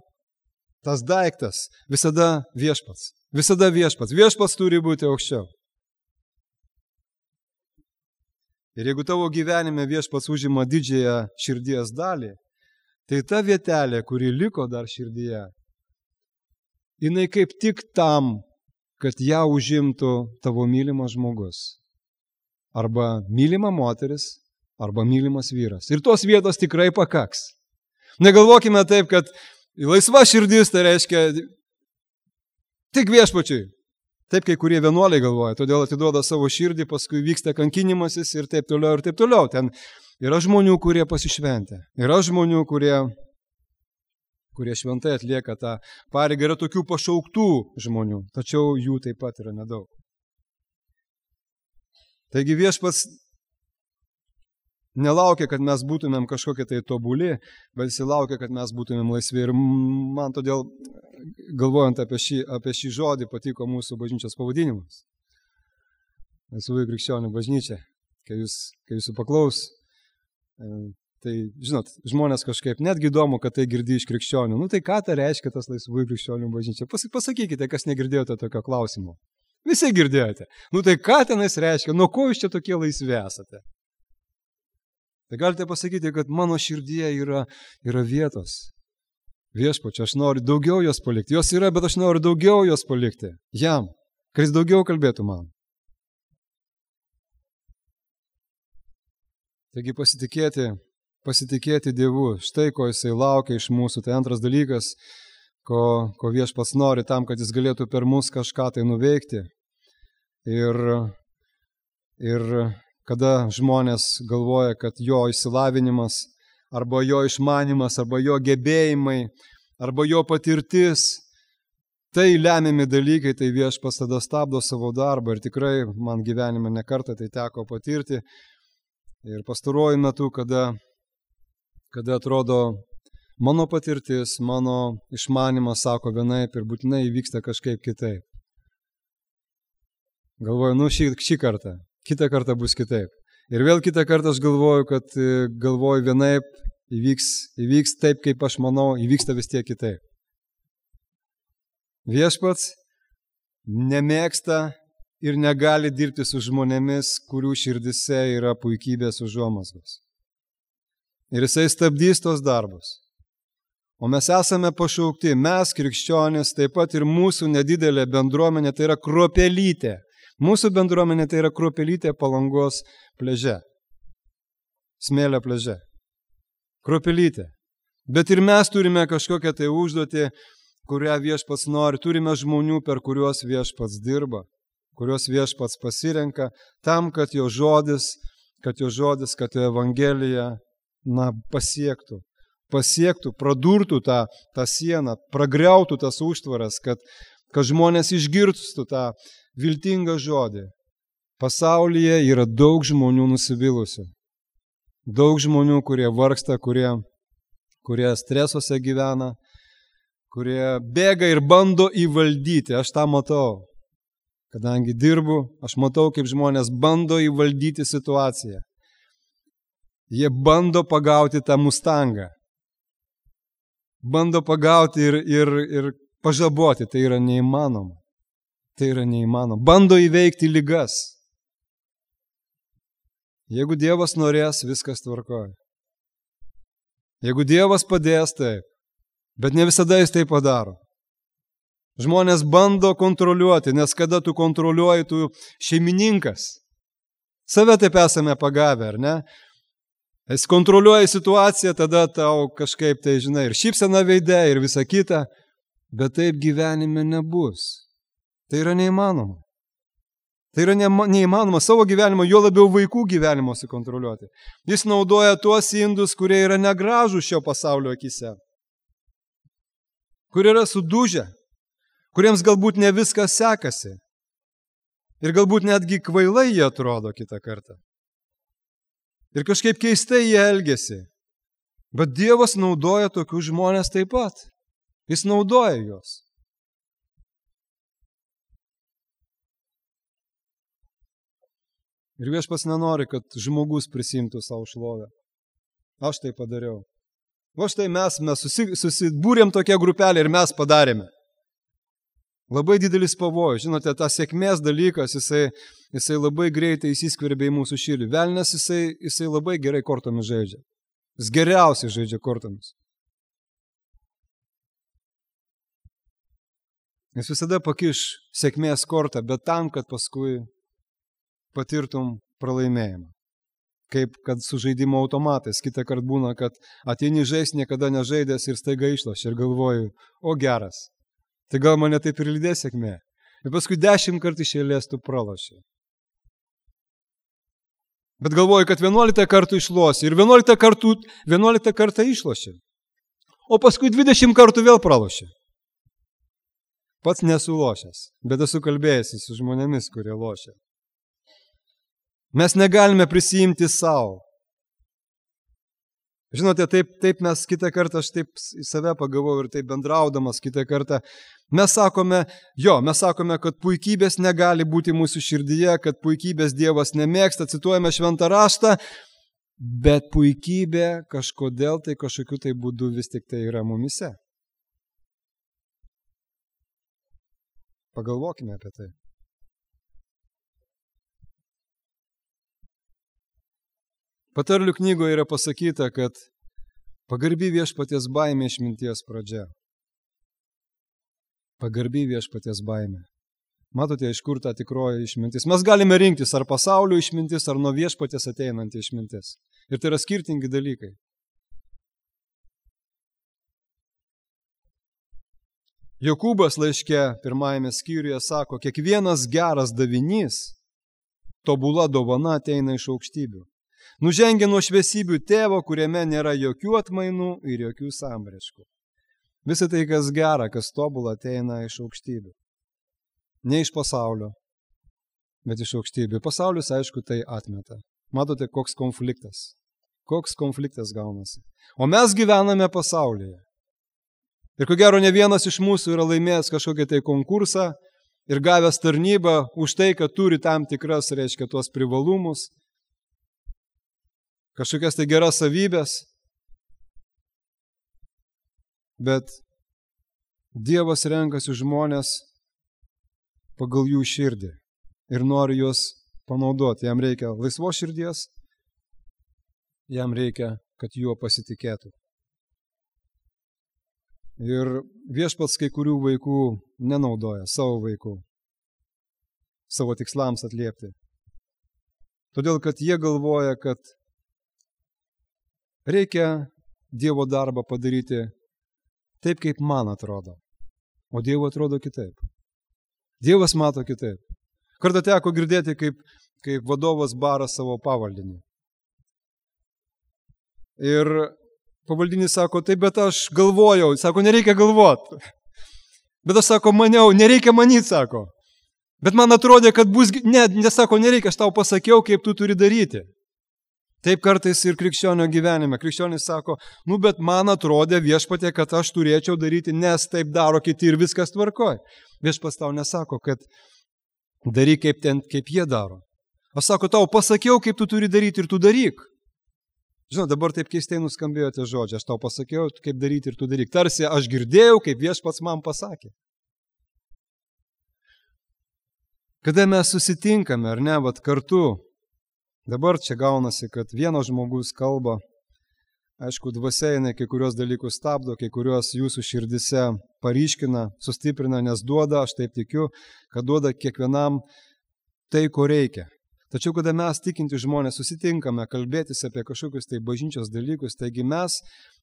tas daiktas, visada Viešpats. Visada Viešpats. Viešpats turi būti aukščiau. Ir jeigu tavo gyvenime Viešpats užima didžiąją širdies dalį, tai ta vietelė, kuri liko dar širdyje, jinai kaip tik tam, kad ją užimtų tavo mylimas žmogus. Arba mylima moteris, arba mylimas vyras. Ir tos vietos tikrai pakaks. Negalvokime taip, kad laisva širdis tai reiškia tik Viešpačiui. Taip, kai kurie vienuoliai galvoja, todėl atiduoda savo širdį, paskui vyksta kankinimasis ir taip toliau ir taip toliau. Ten yra žmonių, kurie pasišventę. Yra žmonių, kurie, kurie šventai atlieka tą pareigą. Yra tokių pašauktų žmonių, tačiau jų taip pat yra nedaug. Taigi Viešpats nelaukia, kad mes būtumėm kažkokie tai tobuli, bet jis laukia, kad mes būtumėm laisvi. Ir man todėl, galvojant apie šį, apie šį žodį, patiko mūsų bažnyčios pavadinimas. Laisvųjų krikščionių bažnyčia. Kai jūs, kai jūsų paklaus, tai, žinot, žmonės kažkaip netgi įdomu, kad tai girdi iš krikščionių. Nu tai ką tai reiškia tas laisvųjų krikščionių bažnyčia? Pasakykite, kas negirdėjote tokio klausimo. Visi girdėjote. Nu tai ką tenais reiškia? Nuo ko jūs čia tokie laisvi esate? Tai galite pasakyti, kad mano širdyje yra, yra vietos. Viešpačia, aš noriu daugiau jos palikti. Jos yra, bet aš noriu daugiau jos palikti. Jam, kad jis daugiau kalbėtų man. Taigi pasitikėti, pasitikėti Dievu. Štai ko jisai laukia iš mūsų. Tai antras dalykas, ko, ko Viešpats nori tam, kad jis galėtų per mus kažką tai nuveikti. Ir, ir kada žmonės galvoja, kad jo išsilavinimas, arba jo išmanimas, arba jo gebėjimai, arba jo patirtis, tai lemiami dalykai, tai Viešpats tada stabdo savo darbą. Ir tikrai man gyvenime nekartą tai teko patirti. Ir pastaruoju metu, kada, kada atrodo mano patirtis, mano išmanimas sako vienaip ir būtinai įvyksta kažkaip kitaip. Galvoju, nu šį, šį kartą, kitą kartą bus kitaip. Ir vėl kitą kartą aš galvoju, kad galvoju vienaip, įvyks, įvyks taip, kaip aš manau, įvyksta vis tiek kitaip. Viešpats nemėgsta ir negali dirbti su žmonėmis, kurių širdise yra puikybės užuomazgos. Ir jisai stabdys tos darbus. O mes esame pašaukti, mes krikščionys, taip pat ir mūsų nedidelė bendruomenė, tai yra kruopelytė. Mūsų bendruomenė tai yra Kruopelytė Palangos pliaže. Smėlio pliaže. Kruopelytė. Bet ir mes turime kažkokią tai užduotį, kurią Viešpats nori. Turime žmonių, per kuriuos Viešpats dirba, kuriuos Viešpats pasirenka, tam, kad jo žodis, kad jo žodis, kad jo evangelija, na, pasiektų. Pasiektų, pradurtų tą, tą sieną, pragriautų tas užtvaras, kad, kad žmonės išgirstų tą viltingą žodį. Pasaulyje yra daug žmonių nusivylusių. Daug žmonių, kurie vargsta, kurie, kurie stresuose gyvena, kurie bėga ir bando įvaldyti. Aš tą matau. Kadangi dirbu, aš matau, kaip žmonės bando įvaldyti situaciją. Jie bando pagauti tą mustangą. Bando pagauti ir, ir, ir pažaboti. Tai yra neįmanoma. Tai yra neįmanoma. Bando įveikti ligas. Jeigu Dievas norės, viskas tvarkoja. Jeigu Dievas padės, taip. Bet ne visada jis tai padaro. Žmonės bando kontroliuoti, nes kada tu kontroliuoji, tu šeimininkas. Save taip esame pagavę, ar ne? Jis kontroliuoja situaciją, tada tau kažkaip tai, žinai, ir šypsena veide, ir visa kita, bet taip gyvenime nebus. Tai yra neįmanoma. Tai yra neįmanoma savo gyvenimo, jo labiau vaikų gyvenimo sukontroliuoti. Jis naudoja tuos indus, kurie yra negražūs šio pasaulio akise, kurie yra sudužę, kuriems galbūt ne viskas sekasi ir galbūt netgi kvailai jie atrodo kitą kartą. Ir kažkaip keistai jie elgiasi. Bet Dievas naudoja tokius žmonės taip pat. Jis naudoja juos. Ir Viešpats nenori, kad žmogus prisimtų savo šlovę. Aš tai padariau. Va štai mes, mes susi, susibūrėm tokią grupelę ir mes padarėme. Labai didelis pavojus. Žinote, tas sėkmės dalykas, jisai, jisai labai greitai įsiskverbia į mūsų širdį. Velnias, jisai, jisai labai gerai kortomis žaidžia. Jis geriausiai žaidžia kortomis. Jis visada pakiš sėkmės kortą, bet tam, kad paskui patirtum pralaimėjimą. Kaip kad su žaidimo automatais. Kitą kartą būna, kad ateini žaisti, niekada nežaidęs ir staiga išloši ir galvoju, o geras. Tai gal mane taip ir lydės sėkmė. Ir paskui dešimt kartų iš eilės tu praloši. Bet galvoju, kad vienuoliktą kartų išloši ir vienuoliktą kartų, vienuoliktą kartą išloši. O paskui dvidešimt kartų vėl praloši. Pats nesu lošęs, bet esu kalbėjęs su žmonėmis, kurie lošia. Mes negalime prisijimti savo. Žinote, taip, taip mes kitą kartą, aš taip į save pagavau ir taip bendraudamas kitą kartą, mes sakome, jo, mes sakome, kad puikybės negali būti mūsų širdyje, kad puikybės Dievas nemėgsta, cituojame šventą raštą, bet puikybė kažkodėl tai kažkokiu tai būdu vis tik tai yra mumise. Pagalvokime apie tai. Patarlių knygoje yra pasakyta, kad pagarbi viešpaties baimė išminties pradžia. Pagarbi viešpaties baimė. Matote, iš kur ta tikroji išmintis. Mes galime rinktis ar pasaulio išmintis, ar nuo viešpaties ateinanti išmintis. Ir tai yra skirtingi dalykai. Jokūbas laiške pirmajame skyriuje sako, kiekvienas geras davinys, tobula dovana ateina iš aukštybių. Nužengia nuo šviesybių tėvo, kuriame nėra jokių atmainų ir jokių sambrėškų. Visą tai, kas gera, kas tobula, ateina iš aukštybių. Ne iš pasaulio, bet iš aukštybių. Pasaulis, aišku, tai atmeta. Matote, koks konfliktas. Koks konfliktas gaunasi. O mes gyvename pasaulyje. Ir ko gero, ne vienas iš mūsų yra laimėjęs kažkokį tai konkursą ir gavęs tarnybą už tai, kad turi tam tikras, reiškia, tuos privalumus, kažkokias tai geras savybės, bet Dievas renkasi žmonės pagal jų širdį ir nori juos panaudoti. Jam reikia laisvos širdies, jam reikia, kad juo pasitikėtų. Ir Viešpats kai kurių vaikų nenaudoja, savo vaikų. savo tikslams atliepti. Todėl, kad jie galvoja, kad reikia Dievo darbą padaryti taip, kaip man atrodo. O Dievo atrodo kitaip. Dievas mato kitaip. Kartą teko girdėti, kaip, kaip vadovas bara savo pavaldinį. Ir pavaldinis sako, taip, bet aš galvojau. Sako, nereikia galvot. Bet aš sako, maniau, nereikia manyti, sako. Bet man atrodė, kad bus... Ne, nesako, nereikia, aš tau pasakiau, kaip tu turi daryti. Taip kartais ir krikščionio gyvenime. Krikščionis sako, nu, bet man atrodė viešpatė, kad aš turėčiau daryti, nes taip daro kiti ir viskas tvarkoj. Viešpats tau nesako, kad daryk kaip, ten, kaip jie daro. Aš sako, tau pasakiau, kaip tu turi daryti ir tu daryk. Žinau, dabar taip keistai nuskambėjo tie žodžiai. Aš tau pasakiau, kaip daryti ir tu daryk. Tarsi aš girdėjau, kaip viešpats man pasakė. Kada mes susitinkame, ar ne, vat kartu, dabar čia gaunasi, kad vienas žmogus kalba, aišku, dvasia jinai kai kurios dalykus stabdo, kai kurios jūsų širdise paryškina, sustiprina, nes duoda, aš taip tikiu, kad duoda kiekvienam tai, ko reikia. Tačiau, kada mes tikinti žmonės susitinkame kalbėtis apie kažkokius tai bažnyčios dalykus, taigi mes,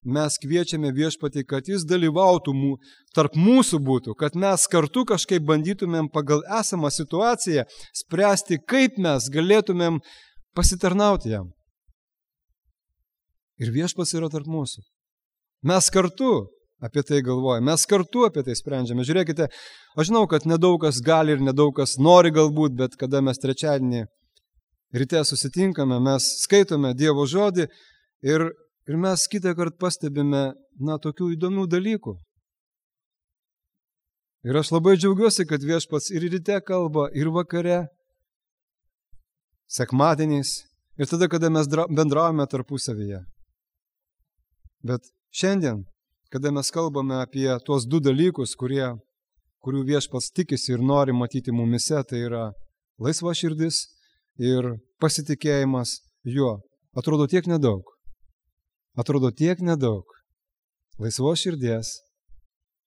mes kviečiame viešpatį, kad jis dalyvautų mū, tarp mūsų būtų, kad mes kartu kažkaip bandytumėm pagal esamą situaciją spręsti, kaip mes galėtumėm pasitarnauti jam. Ir viešpats yra tarp mūsų. Mes kartu apie tai galvojame, mes kartu apie tai sprendžiame. Žiūrėkite, aš žinau, kad nedaug kas gali ir nedaug kas nori galbūt, bet kada mes trečiadienį ryte susitinkame, mes skaitome Dievo žodį ir, ir mes kitą kartą pastebime, na, tokių įdomių dalykų. Ir aš labai džiaugiuosi, kad viešpats ir ryte kalba, ir vakare, sekmadieniais, ir tada, kada mes bendravome tarpusavyje. Bet šiandien, kada mes kalbame apie tuos du dalykus, kurie, kurių viešpats tikisi ir nori matyti mumise, tai yra laisva širdis ir pasitikėjimas juo. Atrodo tiek nedaug. Atrodo tiek nedaug. Laisvos širdies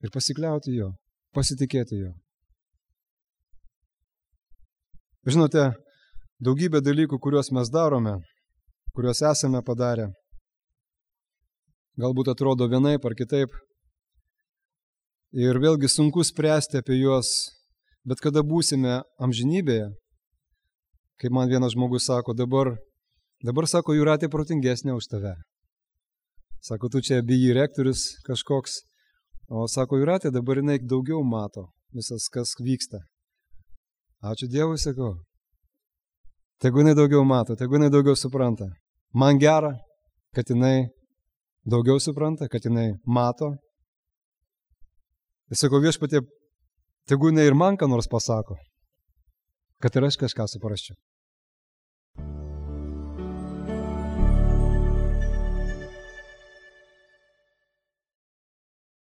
ir pasikliauti juo, pasitikėti juo. Žinote, daugybė dalykų, kuriuos mes darome, kuriuos esame padarę, galbūt atrodo vienaip ar kitaip. Ir vėlgi sunku spręsti apie juos, bet kada būsime amžinybėje, kaip man vienas žmogus sako, dabar, dabar sako, Jūratė protingesnė už tave. Sako, tu čia bijai rektorius kažkoks, o sako, Jūratė dabar jinai daugiau mato visas, kas vyksta. Ačiū Dievui, sakau. Tegu jinai daugiau mato, tegu jinai daugiau supranta. Man gera, kad jinai daugiau supranta, kad jinai mato. Ir sakau, viešpatie, tegu jinai ir man ką nors pasako, kad ir aš kažką suprasčiau.